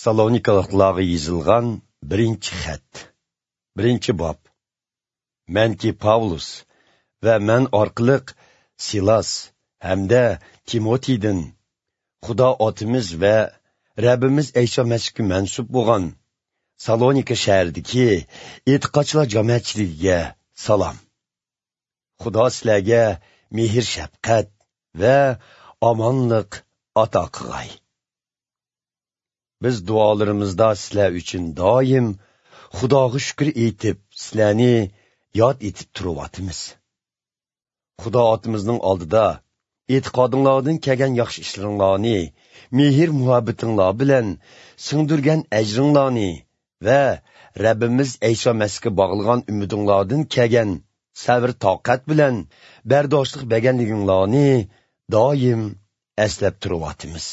Salonikaliklarga yozilgan birinchi xat. Birinchi bob. Manki Pavlus va men orqaliq Silas hamda Timotiydan Xudo otimiz va Rabbimiz Ayso Masihga mansub bo'lgan Salonika shahridagi e'tiqodchilar jamoatchiligiga salom. Xudo sizlarga mehr shafqat va omonlik ato qilg'ay. Biz duolarimizda sizlar uchun doim Xudoga shukr etib, sizlarni yod etib turyapmiz. Xudo otimizning oldida e'tiqodinglardan kelgan yaxshi ishlaringlarni, mehr muhabbatinglar bilan singdirgan ajringlarni va Rabbimiz Ayso Masihga bog'lagan umidinglardan kelgan sabr toqat bilan bardoshlik berganliginglarni doim eslab turyapmiz.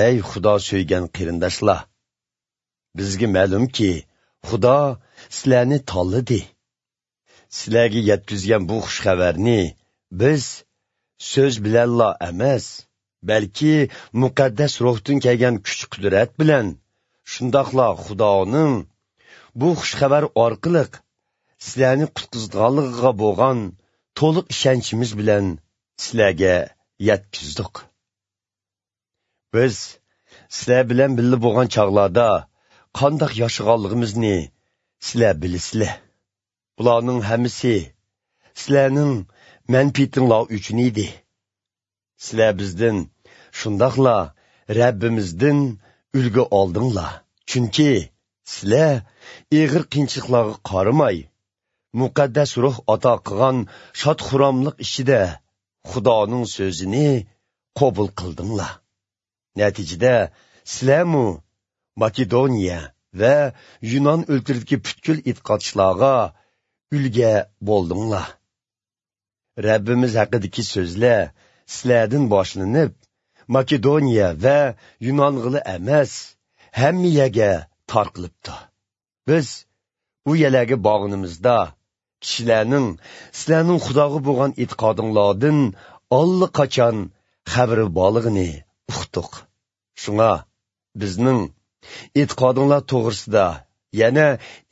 Ey Xudo so'ygan qarindoshlar, bizga ma'lumki, Xudo sizlarni tanladi. Sizlarga yetkazgan bu xush xabarni biz so'z bilanla emas, balki muqaddas ruhdan kelgan kuch-qudrat bilan, shundoqla Xudoning bu xush xabar orqali sizlarni qutqizganligiga bo'lgan to'liq ishonchimiz bilan sizlarga yetkazdik. Biz sizlar bilan birga bo'lgan chog'larda qandoq yashaganligimizni sizlar bilasizlar. Bularning hammasi sizlarning manfaatinglar uchun edi. Sizlar bizdan, shundoqla Rabbimizdan ulgu oldinglar. Chunki sizlar ig'ir qiyinchiliklarga qaramay, muqaddas ruh ato qilgan shod-xurramlik ichida Xudoning so'zini qabul qildinglar. Natijada sizlarmu Makedoniya va Yunon o'lkasidagi butkul e'tiqodchilarga ulga bo'ldinglar. Rabbimiz haqidagi so'zlar sizlardan boshlanib, Makedoniya va Yunong'ila emas, hamma yerga tarqalibdi. Biz u yerlarga borganimizda kishilarning sizlarning Xudoga bo'lgan e'tiqodinglardan allaqachon xabari borligini uqdik. Shunga bizning e'tiqodinglar to'g'risida yana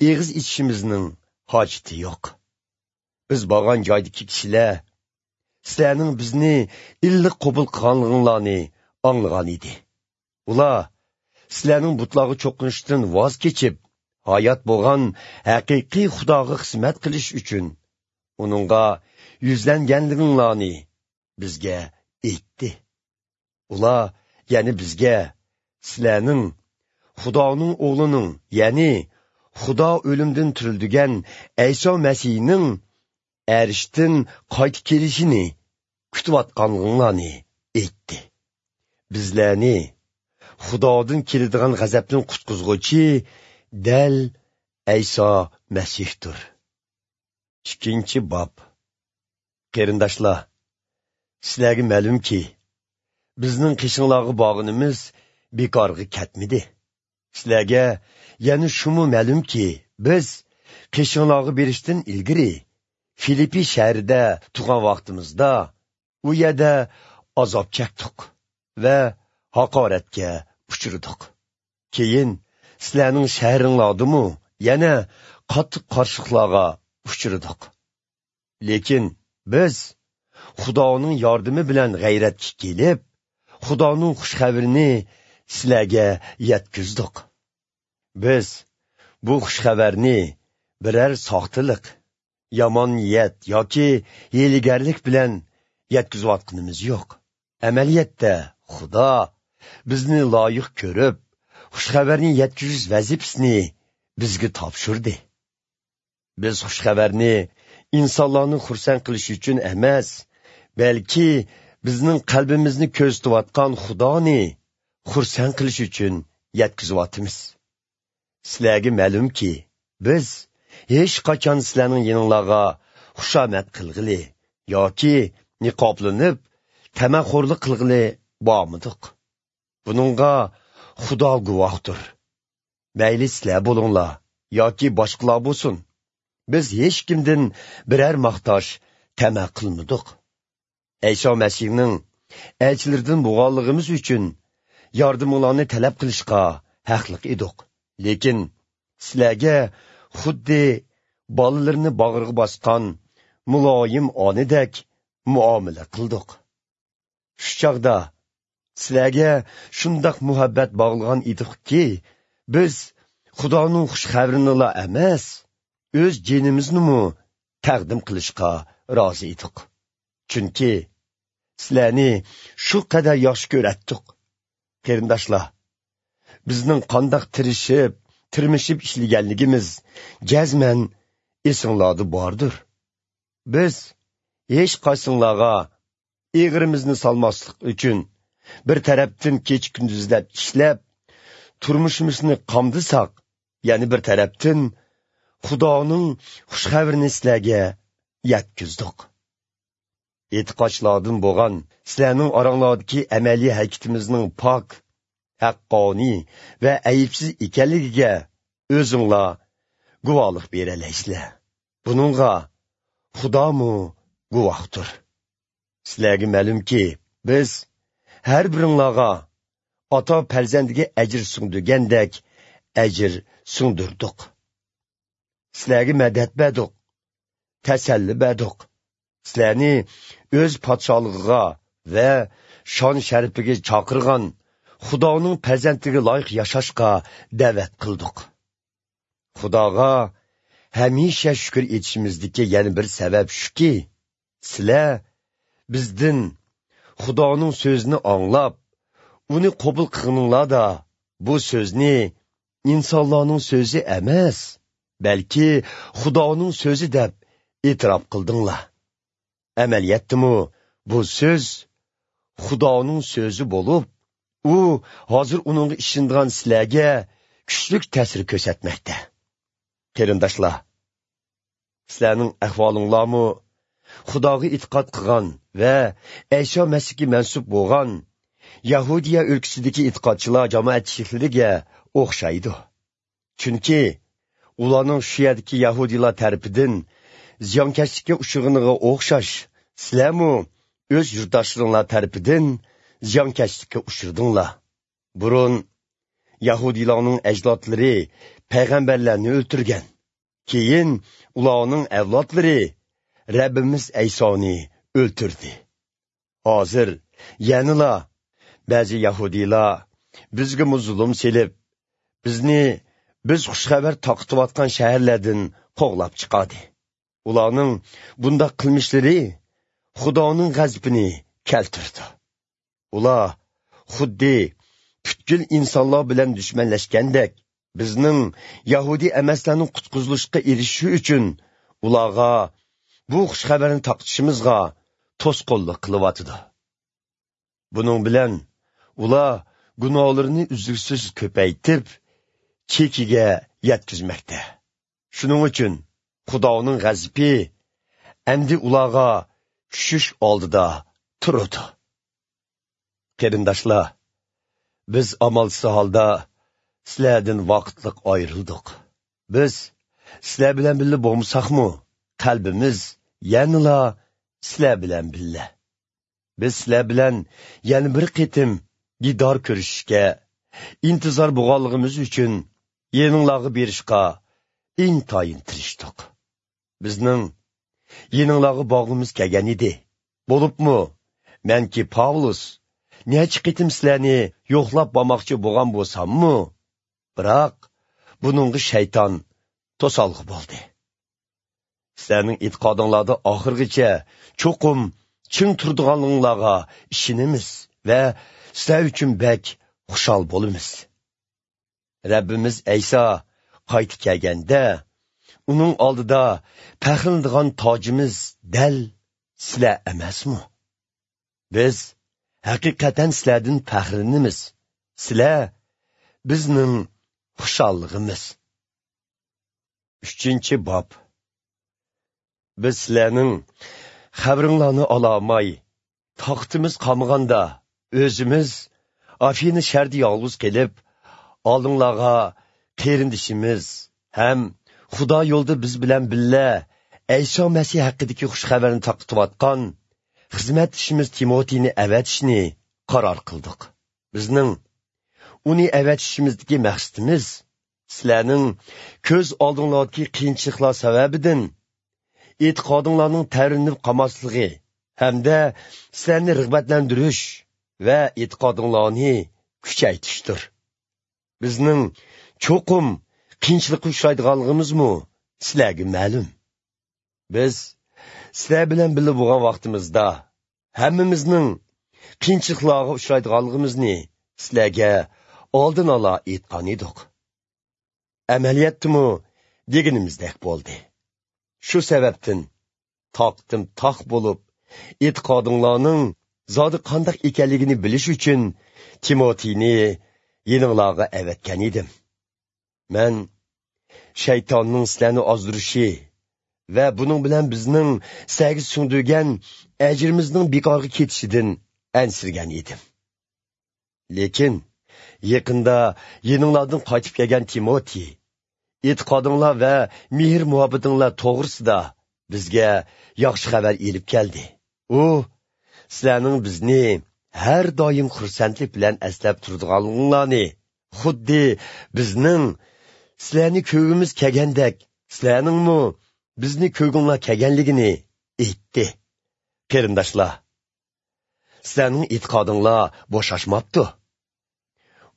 eg'iz ichishimizning hojati yo'q. Biz borgan joydagi kishilar sizlarning bizni illiq qabul qilganliginglarni anglagan edi. Ular sizlarning butlarga cho'qinishdan voz kechib, hayot bo'lgan haqiqiy Xudoga xizmat qilish uchun uningga yuzlanganliginglarni bizga aytdi. Ular ya'ni bizga sizlarning Xudoning o'g'lining, ya'ni Xudo o'limdan tirildigan Ayso Masihning arishdan qaytib kelishini kutayotganliginglarni aytdi. Bizlarni Xudodan keladigan g'azabdan qutqizg'uchi dal Ayso Masihdir. 2 bob. Qarindoshlar, sizlarga ma'lumki, bizning qishinglarga borganimiz bekorga ketmadi. Sizlarga yana shumi ma'lumki, biz qishinglarga berishdan ilgari Filippi shahrida turgan vaqtimizda u yerda azob chekdik va haqoratga uchradik. Keyin sizlarning shahringlardimi yana qattiq qarshiliklarga uchradik. Lekin biz Xudoning yordami bilan g'ayratga kelib, Xudoning xush xabarini sizlarga yetkazdik. Biz bu xush xabarni biror soxtalik, yomon niyat yoki hiylagarlik bilan yetkazayotganimiz yo'q. Amaliyotda Xudo bizni loyiq ko'rib, xush xabarni yetkazish vazifasini bizga topshirdi. Biz xush xabarni insonlarni xursand qilish uchun emas, balki bizning qalbimizni ko'zlatayotgan Xudoni xursand qilish uchun yetkazyapmiz. Sizlarga ma'lumki, biz hech qachon sizlarning yoninglarga xushomat qilg'ili yoki niqoblanib tamaxo'rlik qilg'ili bormidiq. Buningga Xudo guvohdir. Mayli sizlar bo'linglar yoki boshqalar bo'lsin, biz hech kimdan biror maqtash tama qilmadik. Ayso Masihning elchilaridan bo'lganligimiz uchun yordaminglarni talab qilishga haqliq edik. Lekin sizlarga xuddi bolalarini bag'riga bosgan muloyim onidek muomala qildik. Shu chog'da sizlarga shundoq muhabbat bog'lagan edikki, biz Xudoning xush xabarini emas, o'z jinimizni taqdim qilishga rozi edik. Chunki sizlarni shu qadar yaxshi ko'ratdik. Qarindoshlar, bizning qandoq tirishib, tirmishib ishlaganligimiz jazman esinglarda bordir. Biz hech qaysinglarga eg'irimizni solmaslik uchun bir tarafdan kech kunduzlab ishlab, turmushimizni qamdisak, ya'ni bir tarafdan Xudoning xush xabarini sizlarga yetkazdik. E'tiqodchilardan bo'lgan sizlarning oranglardagi amaliy harakatimizning pok, haqqoniy va aybsiz ekanligiga o'zinglar guvohlik beralaysizlar. Buningga Xudomu guvohdir. Sizlarga ma'lumki, biz har biringlarga ota farzandiga ajr singdirgandek ajr singdirdik. Sizlarga madad berdik, tasalli berdik. Sizlarni o'z podsholig'iga va shon sharafiga chaqirgan Xudoning farzandiga loyiq yashashga da'vat qildik. Xudoga hamisha shukr etishimizdagi yana bir sabab shuki, sizlar bizdan Xudoning so'zini anglab, uni qabul qilganinglarda bu so'zni insonlarning so'zi emas, balki Xudoning so'zi deb e'tirof qildinglar. Amaliyotdimi bu so'z Xudoning so'zi bo'lib, u hozir uningga ishongan sizlarga kuchli ta'sir ko'rsatmoqda. Qarindoshlar, sizlarning ahvolinglarmi Xudoga e'tiqod qilgan va Ayso Masihga mansub bo'lgan Yahudiya o'lkasidagi e'tiqodchilar jamoatchiliklariga o'xshaydi. Chunki ularning shu yerdagi yahudiylar tarafidan ziyonkashlikka uchraganiga o'xshash, sizlarmi o'z yurtdoshlaringlar tarafidan ziyonkashlikka uchradinglar. Burun yahudiylarning ajdodlari payg'ambarlarni o'ltirgan. Keyin ularning avlodlari Rabbimiz Aysoni o'ltirdi. Hozir yanala ba'zi yahudiylar bizga zulm selib, bizni biz xushxabar taqitayotgan shaharlardan qo'g'lab chiqadi. Ularning bundaq qilmishlari Xudoning g'azabini keltirdi. Ular xuddi butkul insonlar bilan dushmanlashgandek, bizning yahudi emaslarning qutqizilishga erishishi uchun ularga bu xushxabarni taqitishimizga to'sqinlik qilyotidi. Buning bilan ular gunohlarini uzluksiz ko'paytirib, chekiga yetkazmoqda. Shuning uchun Xudoning g'azabi endi ularga tushish oldida turadi. Qarindoshlar, biz amalsiz holda sizlardan vaqtliq ayrildik. Biz sizlar bilan birga bo'lmasakmi, qalbimiz yanala sizlar bilan birga. Biz sizlar bilan yana bir qitim didor ko'rishishga intizor bo'lganligimiz uchun yeninglarga berishga intayin tirishdik. Bizning yeninglarga bog'imiz kelgan edi. Bo'libmi, menki Pavlus necha qitim sizlarni yo'qlab bormoqchi bo'lgan bo'lsammi, biroq buningga shayton to'solg'i bo'ldi. Sizlarning e'tiqodinglarda oxirgacha cho'qim ching turdiganliginglarga ishonamiz va sizlar uchun bak xushal bo'lamiz. Rabbimiz Ayso qaytib kelganda, uning oldida faxrlanadigan tojimiz dal sizlar emasmi? Biz haqiqatan sizlardan faxrlanamiz. Sizlar bizning xushalligimiz. 3-bob. Biz sizlarning xabaringlarni olamay, taqtimiz qolmaganda o'zimiz Afina shahrida yolg'iz kelib, oldinglarga qarindishimiz ham Xudo yo'lida biz bilan birga Ayso Masih haqidagi xush xabarni taqitayotgan xizmatchimiz Timotiyni avatishni qaror qildik. Bizning uni avatishimizdagi maqsadimiz sizlarning ko'z oldinglardagi qiyinchiliklar sababidan e'tiqodinglarning tavrinib qolmasligi hamda sizlarni rag'batlantirish va e'tiqodinglarni kuchaytirishdir. Bizning cho'qim qiyinchilikqa uchraydiganligimizmi sizlarga ma'lum. Biz sizlar bilan birga bo'lgan vaqtimizda hammamizning qiyinchiliklarga uchraydiganligimizni sizlarga oldin ola aytgan edik. Amaliyotdimi deganimizdek bo'ldi. Shu sababdan taqdim taq bo'lib, e'tiqodinglarning zodi qandoq ekanligini bilish uchun Timotiyni yeninglarga avatgan edim. Men shaytonning sizlarni ozdirishi va buning bilan bizning sizlarga singdirgan ajrimizning bekorga ketishidan ansirgan edim. Lekin yaqinda yeninglardan qaytib kelgan Timotey e'tiqodinglar va mehr muhabbatinglar to'g'risida bizga yaxshi xabar elib keldi. U sizlarning bizni har doim xursandlik bilan eslab turadiganliginglarni, xuddi bizning sizlarni ko'gimiz kelgandek, sizlarningmi bizni ko'ginglar kelganligini aytdi. Qarindoshlar, sizlarning e'tiqodinglar bo'shashmabdi.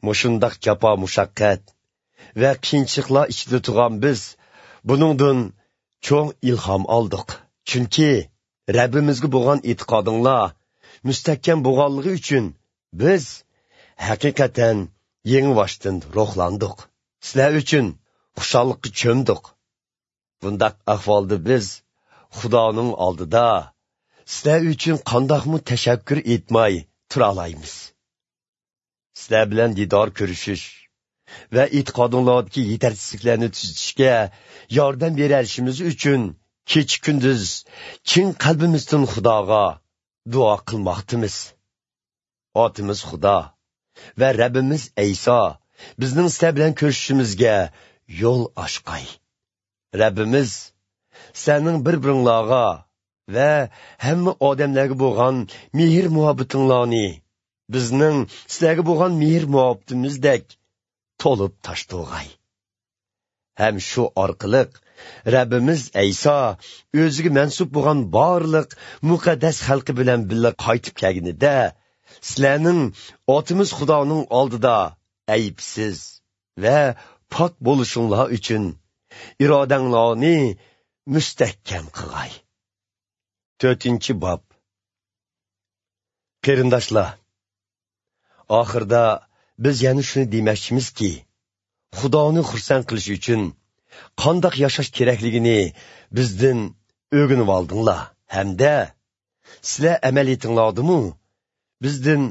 Mushundaq jafo mushaqqat va qiyinchiliklar ichida turgan biz buningdan cho'ng ilhom oldik. Chunki Rabbimizga bo'lgan e'tiqodinglar mustahkam bo'lganligi uchun biz haqiqatan yangi ruhlandik. Sizlar uchun xushallikqa cho'mdik. Bundaq ahvolda biz Xudoning oldida sizlar uchun qandoqmi tashakkur etmay tura olamiz. Sizlar bilan didor ko'rishish va e'tiqodinglardagi yetartsizliklarni tuzatishga yordam berishimiz uchun kecha kunduz chin qalbimizdan Xudoga duo qilmoqdimiz. Otimiz Xudo va Rabbimiz Ayso bizning sizlar bilan ko'rishishimizga yo'l ochqay. Rabbimiz sizlarning bir-biringlarga va hamma odamlarga bo'lgan mehr muhabbatinglarni bizning sizlarga bo'lgan mehr muhabbatimizdek to'lib toshtirg'ay. Ham shu orqali Rabbimiz Ayso o'ziga mansub bo'lgan barliq muqaddas xalqi bilan birga qaytib kelganida sizlarning otimiz Xudoning oldida aybsiz va pok bo'lishinglar uchun irodanglarni mustahkam qilg'ay. 4-bob. Qarindoshlar, oxirda biz yana shuni demoqchimizki, Xudoni xursand qilish uchun qandoq yashash kerakligini bizdan o'rganib oldinglar, hamda sizlar amal etinglardimi, bizdan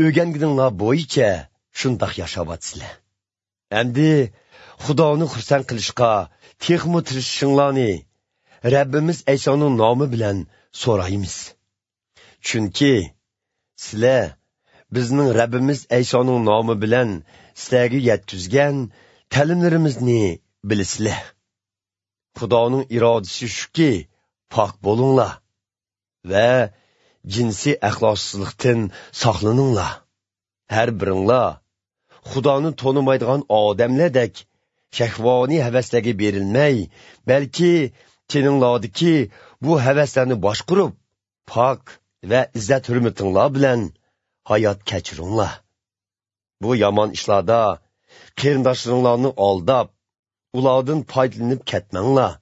o'rganganinglar bo'yicha shundoq yashayapsizlar. Endi Xudoni xursand qilishga texmi tirishishinglarni Rabbimiz Aysoning nomi bilan so'raymiz. Chunki sizlar bizning Rabbimiz Aysoning nomi bilan sizlarga yetkazgan ta'limlarimizni bilasizlar. Xudoning irodasi shuki, pok bo'linglar va jinsiy axloqsizlikdan saqlaninglar. Har biringlar Xudoni tonimaydigan odamlardek shahvoniy havaslarga berilmay, balki teninglardagi bu havaslarni boshqurib, pok va izzat hurmatinglar bilan hayot kechiringlar. Bu yomon ishlarda qarindoshlaringlarni aldab, ulardan foydalanib ketmanglar.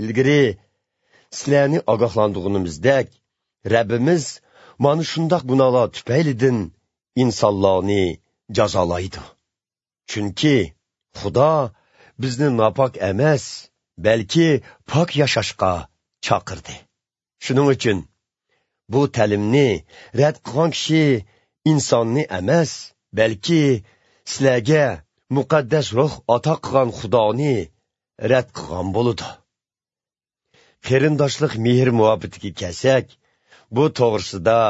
Ilgari sizlarni ogohlantirganimizdek, Rabbimiz mana shundoq gunohlar tufaylidan insonlarni jazolaydi. Chunki Xudo bizni nopok emas, balki pok yashashga chaqirdi. Shuning uchun bu ta'limni rad qilgan kishi insonni emas, balki sizlarga muqaddas ruh ato qilgan Xudoni rad qilgan bo'ladi. Qarindoshlik mehr muhabbatiga kelsak, bu to'g'risida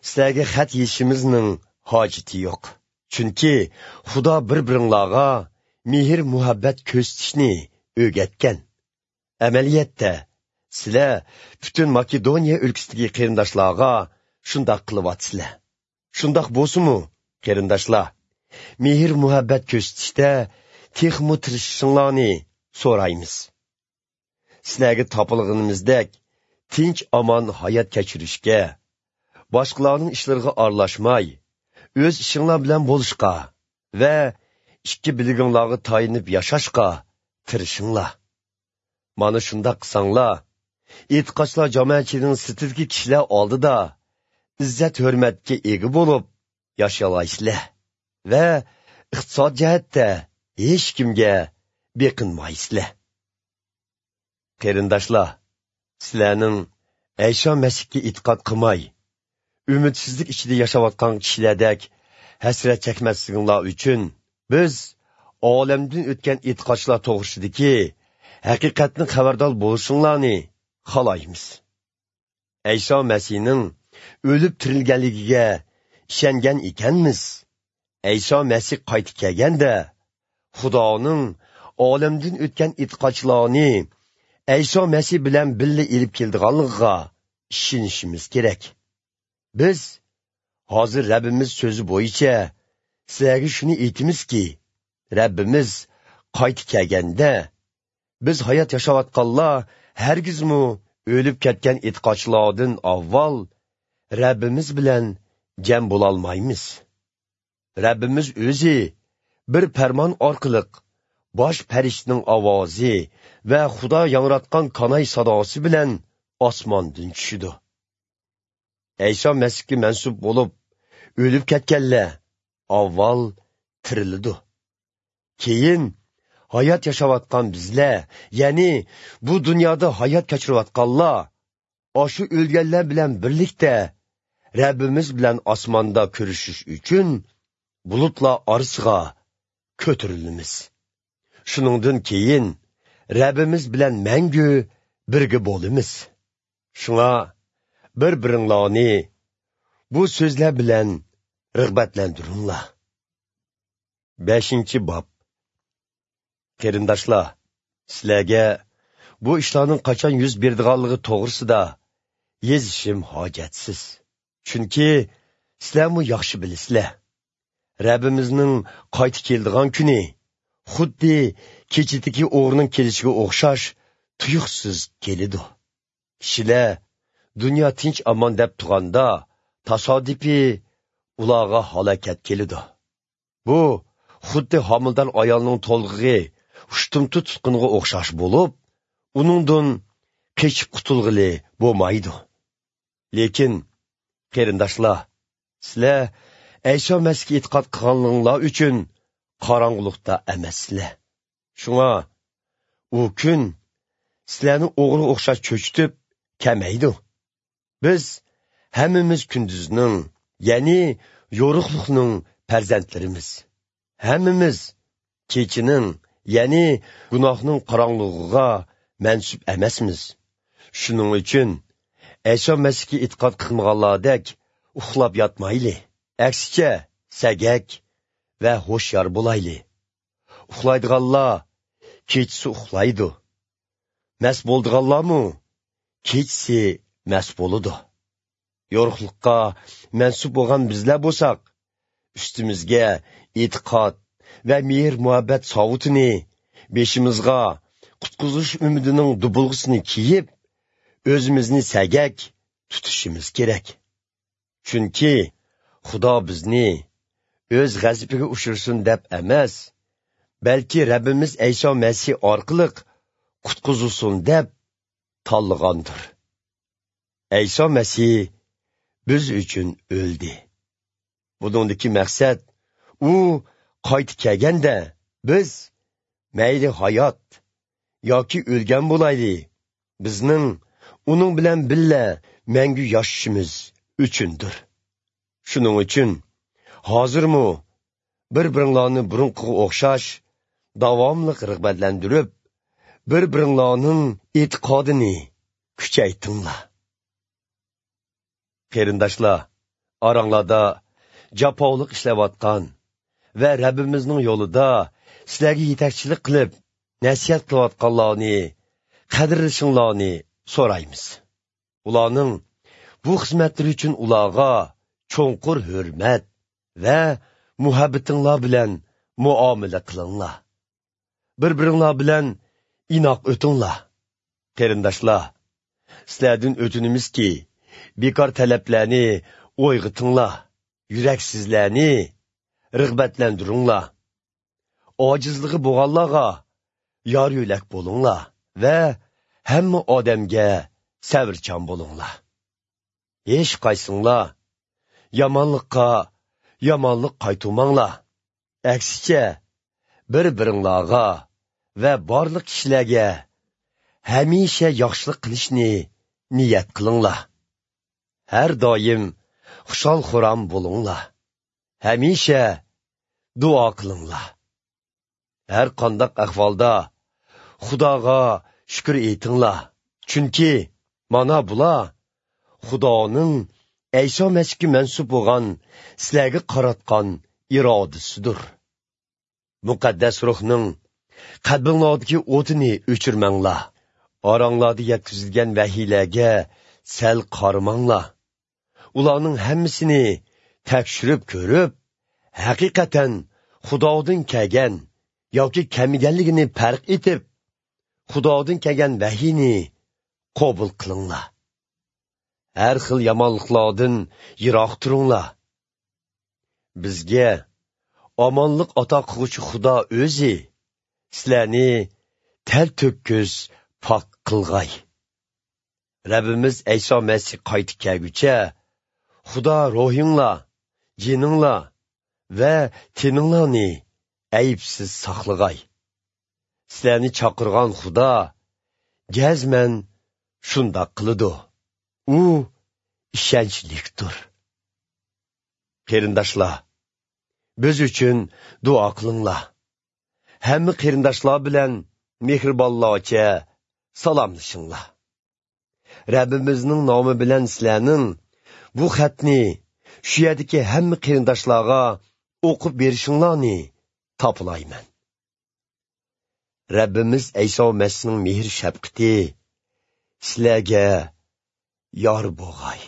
sizlarga xat yeyishimizning hojati yo'q. Chunki Xudo bir-biringlarga mehr muhabbat ko'rsatishni o'rgatgan. Amaliyotda sizlar butun Makedoniya o'lkasidagi qarindoshlarga shundoq qilyapsizlar. Shundoq bo'lsa-mu, qarindoshlar, mehr muhabbat ko'rsatishda texmo tirishishinglarni so'raymiz. Sizlarga topilganimizdek tinch omon hayot kechirishga, boshqalarning ishlariga aralashmay, o'z ishinglar bilan bo'lishga va ikki bilginglarga tayinib yashashga tirishinglar. Mana shundoq qilsanglar, e'tiqodchilar jamoatchining sirtidagi kishilar oldida izzat hurmatga ega bo'lib yashay va iqtisod jihatda hech kimga beqinmaysizlar. Qarindoshlar, sizlarning Ayso Masihga e'tiqod qilmay, umidsizlik ichida yashayotgan kishilardek hasrat chekmasliginglar uchun biz olamdan o'tgan e'tiqodchilar to'g'risidagi haqiqatni xabardor bo'lishinglarni xohlaymiz. Ayso Masihning o'lib tirilganligiga ishongan ekanmiz. Ayso Masih qaytib kelganda Xudoning olamdan o'tgan e'tiqodchilarni Ayso Masih bilan birga elib keldiganligiga ishonishimiz kerak. Biz hozir Rabbimiz so'zi bo'yicha sizlarga shuni aytamizki, Rabbimiz qaytib kelganda biz hayot yashayotganlar hargizmi o'lib ketgan e'tiqodchilardan avval Rabbimiz bilan jam bo'lolmaymiz. Rabbimiz o'zi bir farmon orqali bosh farishtaning ovozi va Xudo yangratgan kanay sadosi bilan osmondan tushidi. Ayso Masihga mansub bo'lib o'lib ketganlar avval tirildi. Keyin hayot yashayotgan bizlar, ya'ni bu dunyoda hayot kechirayotganlar, shu o'lganlar bilan birlikda Rabbimiz bilan osmonda ko'rishish uchun bulutlar orasiga ko'tarilamiz. Shuningdan keyin Rabbimiz bilan mangu birga bo'lamiz. Shunga bir-biringlarni bu so'zlar bilan rag'batlantiringlar. 5-bob. Qarindoshlar, sizlarga bu ishlarning qachon yuz berdiganligi to'g'risida yozishim hojatsiz. Chunki sizlarmi yaxshi bilasizlar. Rabbimizning qaytib keldigan kuni xuddi kechidagi o'g'rining kelishiga o'xshash tuyuqsiz keladi. Kishilar dunyo tinch omon deb turganda tasodifiy ularga halokat keladi. Bu xuddi homildor ayolning to'lg'ig'i ushtumtu tutqunga o'xshash bo'lib, uningdan qechib qutulg'ili bo'lmaydi. Lekin qarindoshlar, sizlar Ayso Masihga e'tiqod qilganinglar uchun qorong'ulikda emassizlar. Shunga u kun sizlarni o'g'ri o'xshash cho'chitib kamaydi. Biz hammamiz kunduzning, ya'ni yo'riqlikning farzandlarimiz. Hammamiz kechining, ya'ni gunohning qorong'ulig'iga mansub emasmiz. Shuning uchun Ayso Masihga e'tiqod qilmaganlardek uxlab yotmayli. Aksicha sagak va hushyor bo'layli. Uxlaydiganlar kechasi uxlaydi. Mast bo'ldiganlarmi kechasi mast bo'ladi. Yo'riqlikqa mansub bo'lgan bizlar bo'lsak, ustimizga e'tiqod va mehr muhabbat sovutini, beshimizga qutqizish umidining dubulg'isini kiyib, o'zimizni sagak tutishimiz kerak. Chunki Xudo bizni o'z g'azabiga uchirsin deb emas, balki Rabbimiz Ayso Masih orqali qutqizsin deb tanlagandir. Ayso Masih biz uchun o'ldi. Buningdagi maqsad, u qaytib kelganda biz mayli hayot yoki o'lgan bo'layli, bizning uning bilan birga mangu yashashimiz uchundir. Shuning uchun hozirmi bir-biringlarni burunqiga o'xshash davomli rag'batlantirib, bir-biringlarning e'tiqodini kuchaytinglar. Qarindoshlar, oranglarda jafolik ishlayotgan va Rabbimizning yo'lida sizlarga yetakchilik qilib, nasihat qilayotganlarni qadrlashinglarni so'raymiz. Ularning bu xizmatlari uchun ularga cho'nqur hurmat va muhabbatinglar bilan muomala qilinglar. Bir-biringlar bilan inoq o'tinglar. Qarindoshlar, sizlardan o'tinimizki, bekor talablarni o'yg'otinglar, yuraksizlarni rag'batlantiringlar. Ojizligi bo'lganlarga yor yo'lak bo'linglar va hamma odamga sabrchan bo'linglar. Hech qaysinglar yomonlikqa yomonlik qaytarmanglar. Aksicha bir-biringlarga va barliq kishilarga hamisha yaxshilik qilishni niyat qilinglar. Har doim xushal xuram bo'linglar. Hamisha duo qilinglar. Har qandaq ahvolda Xudoga shukr aytinglar. Chunki mana bular Xudoning Ayso Masihga mansub bo'lgan sizlarga qaratgan irodasidir. Muqaddas ruhning qalbinglardagi o'tini o'chirmanglar. Oranglarda yetkazilgan vahiylarga sal qaramanglar. Ularning hammasini tekshirib ko'rib, haqiqatan Xudodan kelgan yoki kelmaganligini farq etib, Xudodan kelgan vahiyni qabul qilinglar. Har xil yomonliklardan yiroq turinglar. Bizga omonlik ato qiluvchi Xudo o'zi sizlarni tel to'kis pok qilg'ay. Rabbimiz Ayso Masih qaytib kelguncha Xudo ruhinglar, jininglar va teninglarni aybsiz saqlag'ay. Sizlarni chaqirgan Xudo jazman shundoq qiladi. U ishonchlikdir. Qarindoshlar, biz uchun duo qilinglar. Hamma qarindoshlar bilan mehribonlarcha salomlashinglar. Rabbimizning nomi bilan sizlarning bu xatni shu yerdagi hamma qarindoshlarga o'qib berishinglarni topilayman. Rabbimiz Ayso Masihning mehr shafqati sizlarga yor bo'lg'ay.